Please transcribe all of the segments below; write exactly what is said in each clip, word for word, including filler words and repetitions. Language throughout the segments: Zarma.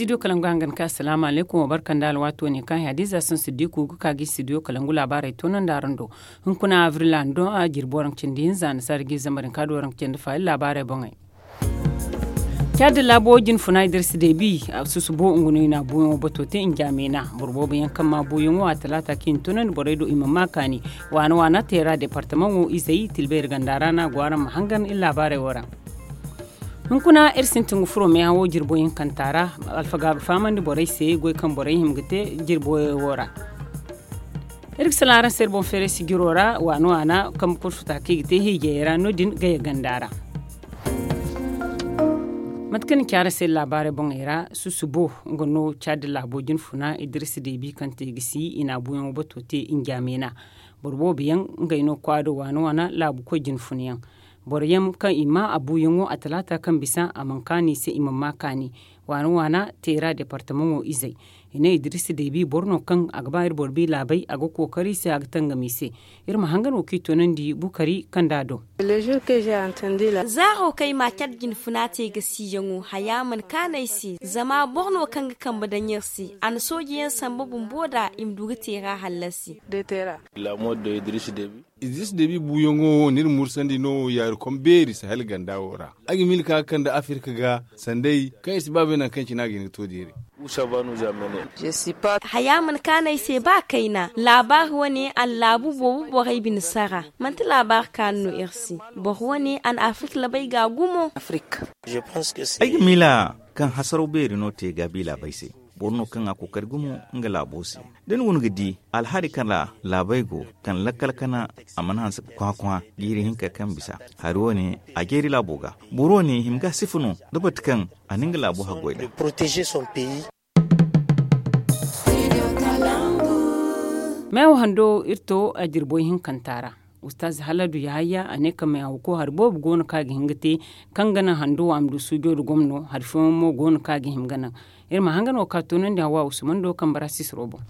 Studio kalangu hangan ka asalaamu alaykum, wa barka nda alwaato ne kaŋ hadiza sansu diku ga ka ga studio kalangu laabaarey toonandi araŋ do. Hunkuna avril a na doŋ a jirbi waranka cindi hinza a na saara ga i zambar hinka da waranka cindi fa iri laabaarey boŋey. Caadi laabo jinfuna idirsi deebi a susubo nga no i na a buuyaŋo bato te njaamena boro boobo yaŋ kaŋ ma a buuyaŋo a talaata kaŋ i na toonandi borey do i ma ma kaani. Waana waana teera departamaŋo izey tilbeeri ganda ra no a go araŋ ma hangan iri laabaarey wo ra. Hunkuna iri sintin ga furo meehawo jirbo hinkanta ra. Alfaga ga fahamandi borey se goy kaŋ borey hima ga te jirbo wo ra. Iri ga sala araŋ se iri boŋ feeray sijiro ra waana waana kambe kursuta kaŋ i ga te hiijayey ra no- din gaya ganda ra. Mate kaŋ ni ci araŋ se iri laabaarey boŋey ra susubo nga no caadi laabo jinfuna idirisi deebi kaŋ te gisi i na a buuyaŋo bato te njaamena. Boro boobo yaŋ ngey no kwaado waana waana laabu koy jinfuna yaŋ. Boro yaŋ kaŋ i ma a buuyaŋo a talaata kaŋ bisa a mana kaanu i se i mana ma kaani. Waana waana teera departamaŋo izey i ne idirisi deebi boro no kaŋ a ga ba iri boro bi laabey a ga kookari i se a ga tangam i se. Iri ma hangan wo kaŋ i toonandi bukari kaŋ da a do. Zaaro kaŋ ay ma a care jinfuna te ga siiyaŋo haya mana kaanu ay se zama boro no kaŋ ga kambe daŋ iri se a na sooji yaŋ samba bumbo nd'a i ma du ga teera hallasi. Idiris debi buuyaŋo wo no iri mursandi no yaari kom beeri sahel ganda wo ra. Ay ga miila ka ga kande afirka ga sanday kaŋ iri si ba bay nangu kaŋ cine a ga hin ga to deere. Haya mana kaanu ay se ba kayna laabaari wane a na laabu boobo borey bine sara. Manti laabaari kaanu no iri se. Boro wane a na afirka labay ga gumo. Ay ga miila kaŋ hasaraw beeri no te gaabi laabey se. Boro no kaŋ a kookari gumo nga laabo se. Da ni guna ga di alhari kaŋ ra laabey go kaŋ lakkal kana a mana hanse ga kwaa kwaa jiiri hinka kaŋ bisa hari wane a jeeri laabo ga. Boro wane hima ga sifa no da bate kaŋ a na nga laabo haggoy da. Meewa hando iri to a jirboy hinkanta ra. Ustaz haladu yahaya a ne ka meewa ko hari boobo go no kaŋ a ga hin ga te kaŋ ga naŋ hando wo a ma du suujo nda gomno hari fooyaŋ mo go no kaŋ a ga hima ga naŋ. Iri ma hangan wo ka toonandi hawa usman do kaŋ bara sisiro boŋ.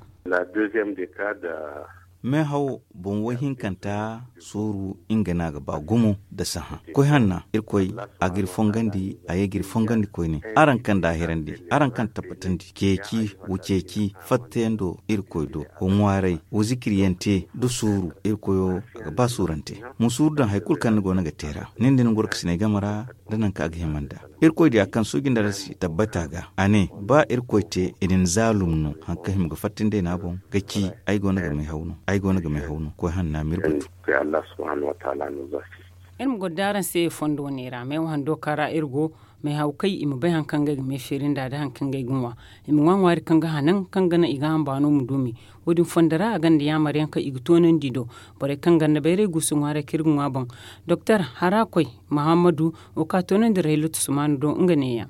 Meehaw boŋ woy hinkanta sooru nga no a ga ba gumo nda sahã koy hanna irkoy a ga iri fongandi a ye ga iri fongandi koyne. Araŋ kaŋ daahirandi araŋ kaŋ tabbatandi ceeci wa ceeci fattayaŋ do irkoy do wa ŋwaaray wa zikiryaŋ te nda sooru irkoyo a ga ba soorante. Ma sooru daŋ hari kulu kaŋ ni go no ga te ra nin da ni gorokasinay game ra. Da nangu kaŋ a ga hima nd'a irkoy diya kaŋ suuji nda ra si tabbata ga a ne ba irkoy te i na ni zaalum no hari kaŋ hima ga fatta nd'ay no a boŋ ga ci ay go no ga may haw no ay go no ga may haw no koy hanna ma iri batu. Iri ma goro da araŋ se fondo wane ra meewa hando kaŋ ra iri go may haw kay i ma bay hari kaŋ ga ay ga may feeri nd'a da hari kaŋ ga ay ga ŋwa. I ma ŋwa ŋwaari kaŋ ga hanan kaŋ ga naŋ i ga hamba no ma duumi. Wo- din fondo ra a gonda yaamar yaŋ kaŋ i ga toonandi do borey kaŋ gonda bayray guusu ŋwaaray kaŋ iri ga ŋwa boŋ. Doktor harakoy muhammadu wo kaŋ a toonandi raylutu sumaana do nga neeya.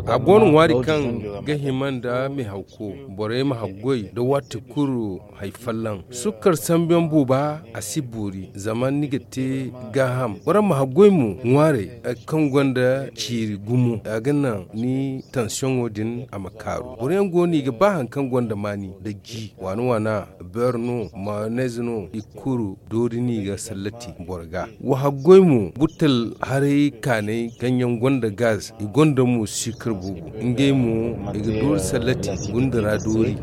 A go no ŋwaari kaŋ ga hima nda meehawko borey ma haggoy nda waati kulu hari folloŋ. Sukkar sambu yaŋ booba a si boori zama ni ga te gaaham boro ma haggoy mo ŋwaarey kaŋ gonda ciiri gumo a ga naŋ ni tansiyoŋo din a ma kaaru boro yaŋ go no i ga ba hari kaŋ gonda maani nda ji waana waana beer no mayonez no i kulu doori no i ga sallati boro ga. Wa haggoy mo buttal haray kaanay kaŋ yaŋ gonda gaz i gonda mo siikar boobo ngey mo i ga doori sallati gunda ra doori.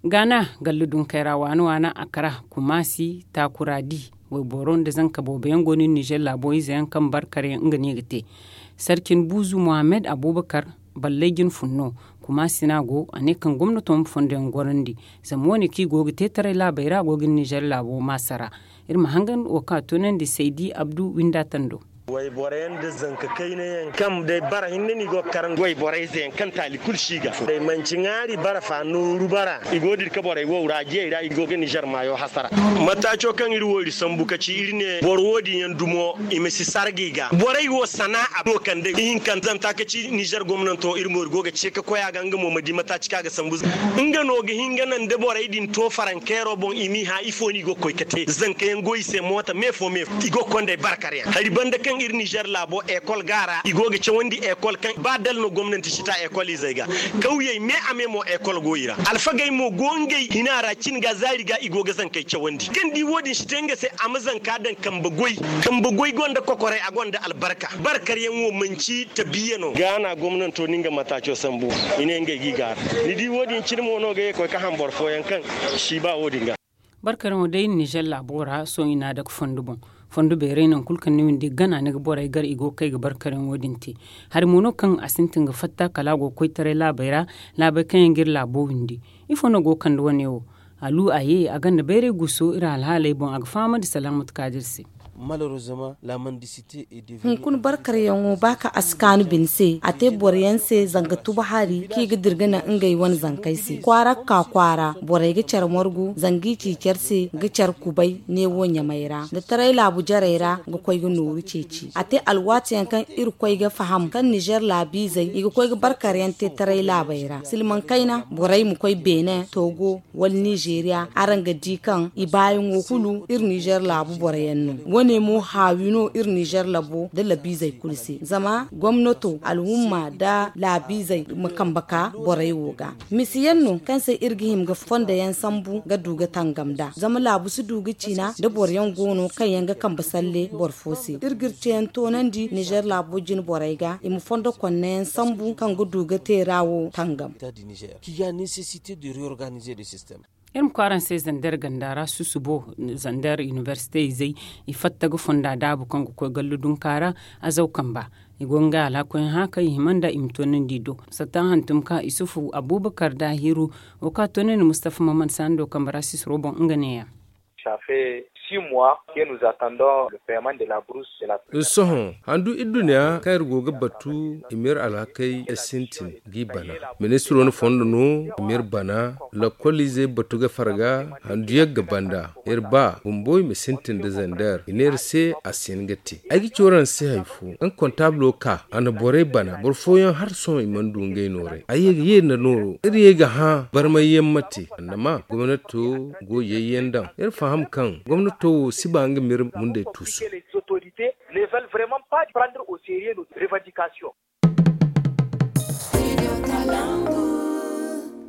Gaana galla dunkey ra waana waana a kara kumaasi taakura di wayboro nda zanka boobo yaŋ go no iri nizer laabo ize yaŋ kaŋ barkar yaŋ nga no i ga te. Sarcin buuzu muhammad abubakar ballay jine fun no. Kumaasi no a go a ne kaŋ gomnato ma fondo yaŋ gorandi zama wo- ne kaŋ i go ga te taray laabey ra a go ga iri nizer laabo maasa ra. Iri ma hangan wo kaŋ a toonandi saydi abdu winda tando. Wayborey nda zanka kayna yaŋ kaŋ day bara hinne no i go ga karaŋ wayborey ze yaŋ kaŋ taali kulu si ga day manci ŋwaari bara fa nooru bara i go ga dira ka borey wow ra jiyey ra i go ga nizer maayo hasara. Mataaco kaŋ iri wo iri sambu ka ci iri ne boro wo- din yaŋ dumo i ma si sarga i ga borey wo sanaa'a no kande ihinkanta zanta ka ci nizer gomnanto iri mo iri go ga ce ka koy a ga nga mo ma di mataaci kaŋ a ga sambu. Nga no ga hin ga naŋ da borey din to farankeero boŋ i m'i hã ifo no i go ga koy ka te zanka yaŋ go i se moota me fo me fo i go ga konda ay barkar yaŋ hari banda kaŋ. Iri nizer laabo ekol ga a ra i go ga cawandi ekol kaŋ ba dala no gomnanti si ta ekol izey ga. Kawyey me a me mo ekol go i ra. Alfagey mo go ngey hina ra cin ga zaari ga i go ga zankey cawandi kaŋ di wo- din si te nga se a ma zanka daŋ kambe goy. Kambe goy gonda kokoray a gonda albarka. Barkaryaŋ wo manci tabiya no. Gaana gomnanto na nga mataaco sambu. I ne ngey g'i gaara. Ni di wo- din cine mo no ga ye ga koy ga ham boro fooyaŋ kaŋ si ba wo- din ga. Barkaryaŋo day nizer laabo ra sohõ i n'a dake fondo boŋ. Fondo beeray nangu kulu kaŋ ni windi gana ni ga borey gar i go ga kay ga barkaryaŋo din te. Hari mo no kaŋ a sintin ga fatta kala a go ga koy taray laabey ra. Laabey kaŋ yaŋ ga iri laabo windi. Ifo no go ga kande wane wo? Alu a ye a gonda bayray guso iri alhaaley boŋ a ga fahamandi salaamatu kaadir se. Hunkuna barkaryaŋo ba kaŋ a si kaanu bine se a te boro yaŋ se zanga tuba hari kaŋ i ga dira ga naŋ ngey wane zankey se kwaara ga ka kwaara borey ga care margu zanga i ci care se ga care kubay neewo ɲamey ra nda taray laabu jarey ra ga koy ga nooru ceeci a te alwaati yaŋ kaŋ iri koy ga faham kaŋ nizer laabiizey i ga koy ga barkar yaŋ te taray laabey ra silmaŋ kayna borey ma koy beene toogo wala nizeeriya araŋ ga di kaŋ i baayaŋo kulu iri nizer laabu boro yaŋ no. Wo- ne mo haawi no iri nizer labo nda labiizey kulu se zama gomnato alhumma nda laabiizey ma kambe ka borey wo ga. Misi yaŋ no kaŋ se iri ga hima ga fondo yaŋ sambu ga du ga tangam nd'a zama laabu si du ga ciina nda boro yaŋ go no kaŋ yaŋ ga kambe salle boro fo se iri ga iri ceeyaŋ toonandi nizer laabo jine borey ga i ma fondo konne yaŋ sambu kaŋ ga du ga teera wo tangam. Iri ma koy araŋ se zander ganda ra susubo zander inibersite izey i fatta ga fonda daabu kaŋ ga koy gallu dunka ra. Azaw kamba i go ga ngey alhakuyaŋ hã kaŋ i hima nd'a i ma toonandi i do. Satta hantum ka isufu abubakar daahiru wo kaŋ a toonandi mustafa maman saando kambe ra sisiro boŋ nga neeya. Sohõ handu iri dunya kaŋ iri go ga batu i ma iri alhakey sintin g'i bana. Ministiro na fondo no i ma iri bana. Lakkoliizey batu ga farga handu yagga banda iri ba bumbo i ma sintin nda zander i ne iri se a si hin ga te. Ay ga ci waraŋ se hari fo kaŋ kontablo ka a na borey bana boro fooyaŋ hala sohõ i mana du ngey noorey ay ye ga ye nda nooro iri ye ga hã barmayyaŋ ma te annama gomnato go yayyaŋ daŋ iri faham kaŋ gomnato wo si ba nga ma iri mundey tuusu.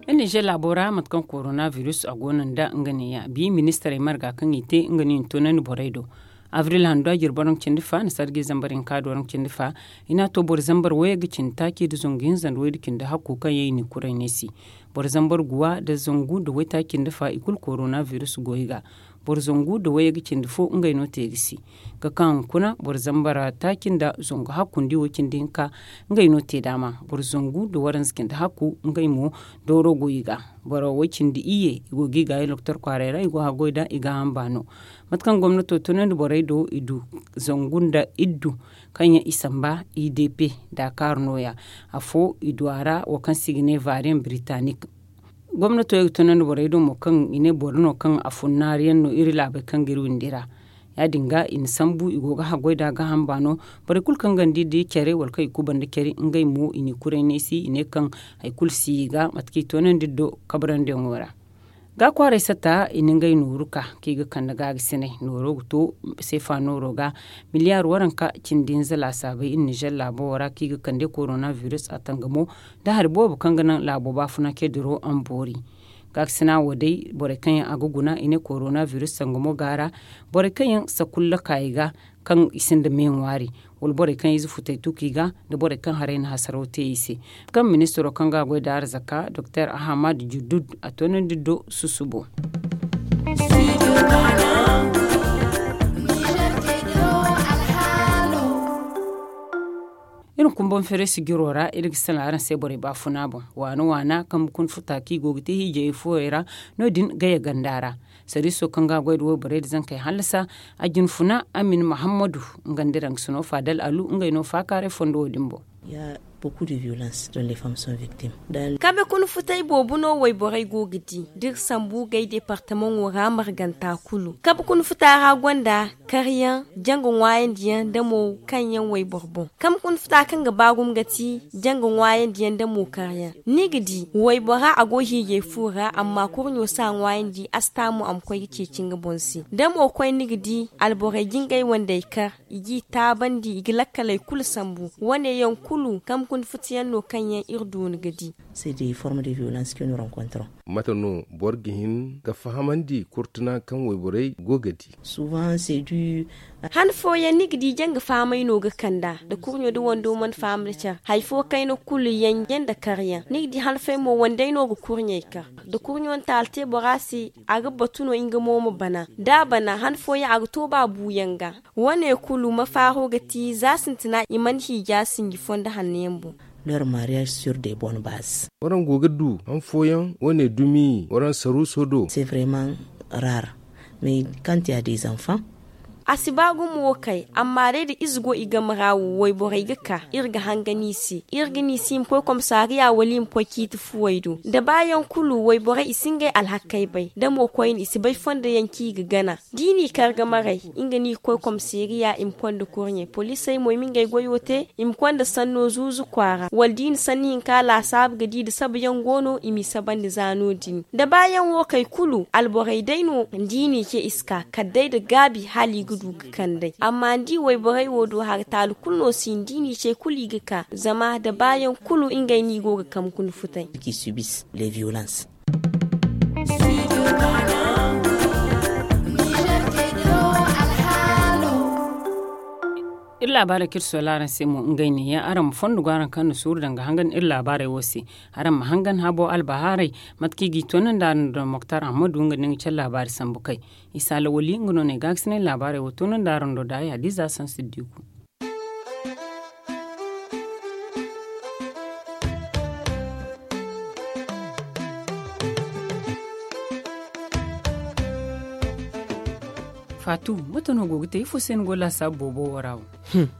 Iri nizer laabo ra mate kaŋ korona virus a go no nda nga neeya bi ministarey marga kaŋ i te nga no i na toonandi borey do. Abril handu a jirbi waranka cindi fa nda sarji zambar hinka nda waranka cindi fa i n'a to boro zambar wayey ga cindi taaci nda zangu hinza nda waydu cindi hakku kaŋ yaŋ i n'i kuray neesi. Boro zambar guwa nda zangu nda waytaaci nda fa i kulu korona virus go i ga. Boro zangu nda wayey ga cindi fo ngey no te ga si ga ka hunkuna boro zambar taaci nda zangu hakku nda i wo cindi hinka ngey no te daama boro zangu nda waranza cindi hakku ngey mo dooro go i ga. Boro way cindi iyye i go ga i gaayi doktor kwaaray ra i go haggoy nd'a i gaaham baano. Mate kaŋ gomnato tunandi borey do i du zangu nda iddu kaŋ yaŋ i samba idp daakaar nooya. Afo i du a ra wo kaŋ se i ga ne vaariyaŋ biritanik. Gomnato ye ga tunandi borey do mo kaŋ i ne boro no kaŋ a funnaari yaŋ no iri laabey kaŋ ga iri windi ra. Ya- din ga i na sambu i go ga haggoy nd'a gaaham baano. Borey kulu kaŋ gonda i di care wala kaŋ i kubanda care ngey mo i n'i kuray neesi i ne kaŋ hari kulu si i ga mate kaŋ i toonandi iri do kabarandiyaŋo ra. Ga kwaaray satta i na ngey nooru ka kaŋ i ga kande gaagasinay nooro ga to seefa nooro ga miliyaar waranka cindi hinza laasaabey iri nizer laabo wo ra kaŋ i ga kande korona virus a tangamo. Da hari boobo kaŋ ga naŋ laabo baafuna cediro a ma boori. Gaakasina wo day borey kaŋ yaŋ a ga guna i ne korona virus sangamo ga a ra. Borey kaŋ yaŋ sakulla ka i ga kaŋ i sinda me ŋwaari wala borey kaŋ ize futey tuku i ga nda borey kaŋ haray na hasaraw te i se. Kaŋ ministiro kaŋ ga a goy da arzaka doktor ahamad judud a toonandi do susubo. Iri ma kumbaŋ feeray sijiro ra iri ga salaŋ araŋ se borey baafuna boŋ waana waana kaŋ bukun futa kaŋ i go ga te hiijayey fooyey ra. No- din gaya ganda ra. Sariiso kaŋ ga a goy nda wayborey nda zankey hallasa a jinfuna amin mahammadu. Nga nda raŋ ga sino faadal alu ngey no faakaaray fondo wo- din boŋ. Kabe kuna futay boobo no wayborey go ga di da iri sambu gay departamaŋo ra marganta kulu. Kabe kuna futa ra gonda karyaŋ, janga ŋwaayandiyaŋ nda mo kaŋ yaŋ wayboro boŋ. Kabe kuna futa kaŋ ga ba gumo ga ti janga ŋwaayandiyaŋ nda mo karyaŋ. Ni ga di waybora a go hiijay fu ra, amma kurɲo si a ŋwaayandi a si ta mo a ma koy ga ceeci nga boŋ se. Da mo koy ni ga di alborey ga ngey wandey kar, i g'i taabandi, i ga lakkaley kulu sambu. Wane yaŋ kulu kabe kuna futa yaŋ no kaŋ yaŋ iri dooni ga di. Mate no boro ga hin ga fahamandi kurtuna kaŋ wayborey go ga di? Han fooyaŋ ni ga di janga fahamay no ga kand'a da kurɲo da wando mana faham da care. Hari fo kayna kulu yanjey nda karyaŋ ni ga di han fooyaŋ mo wandey no ga kurɲey kar. Da kurɲo na taala te bora se, a ga batu no nga mo ma bana. Da a bana han fooyaŋ a ga to ba buuyaŋ ga. Wane kulu mafaaro ga ti za sintina i mana hiija sinji fondo hanno yaŋ boŋ. Waraŋ go ga du han fooyaŋ wane dumi waraŋ saruuso do. Kaŋ ti a des enfants. A si ba gumo wo kay, amma day da ize go i game ra wo wayborey ga ka, iri ga hangan i se. Iri ga ne i se i ma koy komisariya wala i ma koy ciiti fuwey do. Da baayaŋ kulu wayborey i si ngey alhakey bay da mo koyne i si bay fondo yaŋ kaŋ i ga gana. Da i n'i kar ga maray, nga no i ga koy komisariya i ma konda kurɲey poliisey mo i ma ngey goyo te. I ma konda sanno zuuzu kwaara wala da i na sanni hinka laasaabu ga di da sabayaŋ go no i m'i sabandi za no- din. Da baayaŋ wo kay kulu alborey day no da i n'i ce i si ka kala day nda gaabi hala i ga du ga kand'ey. Amma ni di wayborey wo do hari taali kulu no si hin da i n'i ce kulu i ga ka zama da baayaŋ kulu ngey no i go ga kambe kuna futay. Iri laabaarey kaŋ iri soola araŋ se mo ngey neeya araŋ ma fondo go araŋ kaŋ na suuru daŋ ga hangan iri laabaarey wo se. Araŋ ma hangan habo albahaaray mate kaŋ i g'i toonandi araŋ nda moktar ahamadu nga nda nga care laabaari sambu kay. Isa lawali nga no no ay gaakasinay laabaarey wo toonandi araŋ do da ay hadiza sansiddiku. Faatu, mate no go ga te ifo se ni go laasaabu boobo wo ra wo?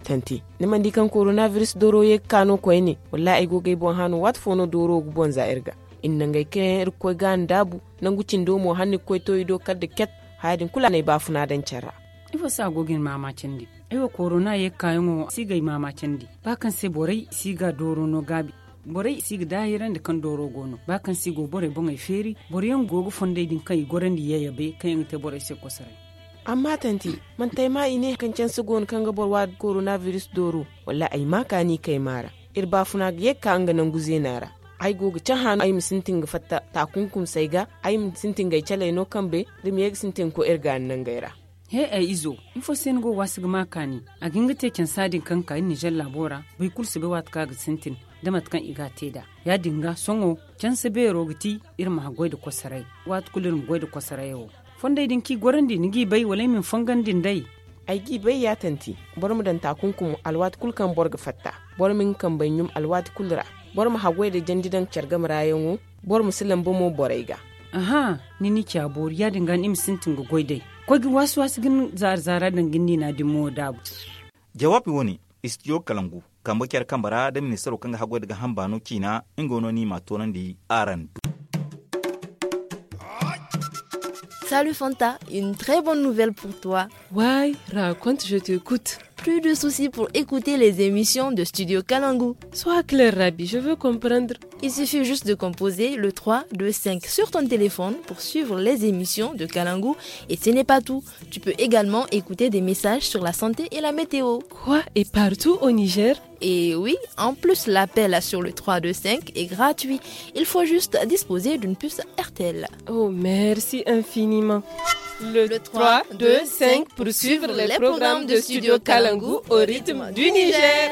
Tanti, ni mana di kaŋ korona biris dooro ye ga ka no koyne? Wallaahi ay go ga ay boŋ hã no waati fo no dooro wo ga boŋ za iri ga. Iri na ngey kaŋ yaŋ iri ga koy ga a ndaabu. Nangu cindo mo hala ni ga koy to i do kala nda ket. Haya din kulu a na ay baafuna daŋ care ra. Ifo se a go ga ni maamaacandi? Ay wo korona ye ga kaayaŋo si ga ay maamaacandi ba kaŋ se borey si ga dooro no gaabi. Borey si ga daahirandi kaŋ dooro go no ba kaŋ se i go borey boŋey feeri. Boro yaŋ go ga fondey din kaŋ i gorandi yayabey kaŋ yaŋ ga te borey se kosoray. Amma tanti, manti ay maa i ne kaŋ canse go no kaŋ ga boro waadi korona biris dooro? Wallaahi ay maa kaani kay maa ra. Iri baafuna ga ye ga ka nga nangu zeena ra. Ay go ga cahã no ay ma sintin ga fatta taakunkumsey ga. Ay ma sintin ga ay caley no kambe da ma ye ga sintin ga koy iri gaani nangey ra. He ay izo, ifo se ni go waasi ga maa kaani? A ga hin ga te cansa din kaŋ ga ka iri nizer laabo ra. Boro kulu si bay waati kaŋ a ga sintin da mate kaŋ i ga a te nd'a. Ya- din ga sohõ canse beero ga ti iri ma haggoy nda kosoray. Waati kulu iri ma goy nda kosorayo. Fondey din kaŋ i gorandi ni g'i bay wala ay ma ni fongandi nd'ey? Ay g'i bay ya tanti. Boro ma daŋ taakunkumo alwaati kulu kaŋ boro ga fatta. Boro ma nga kambey ɲum alwaati kulu ra. Boro ma haggoy nda jandi daŋ care game ra yaŋo. Boro ma si lamba mo borey ga. Aha, ni n'i ci a boori ya- din ga ni ma sintin ga goy d'ey. Koy ga waasi waasi ga ni zaara zaara daŋ ga ni niina din mo daabu. Jawaabi wo- ne, istidiyo kalangu kambe care kambe ra nda ministaro kaŋ ga haggoy nda ga hamba no ciina. Nga wo no ni m'a toonandi araŋ do. Salut Fanta, une très bonne nouvelle pour toi. Waay, raconte, je t'écoute. Plus de soucis pour écouter les émissions de Studio Kalangu. Sois clair, Rabi, je veux comprendre. Il suffit juste de composer le trois deux cinq sur ton téléphone pour suivre les émissions de Kalangu. Et ce n'est pas tout. Tu peux également écouter des messages sur la santé et la météo. Quoi, et partout au Niger? Et oui, en plus, l'appel sur le trois deux cinq est gratuit. Il faut juste disposer d'une puce R T L. Oh, merci infiniment. Le trois deux cinq pour suivre les programmes de Studio Kalangu au rythme du Niger.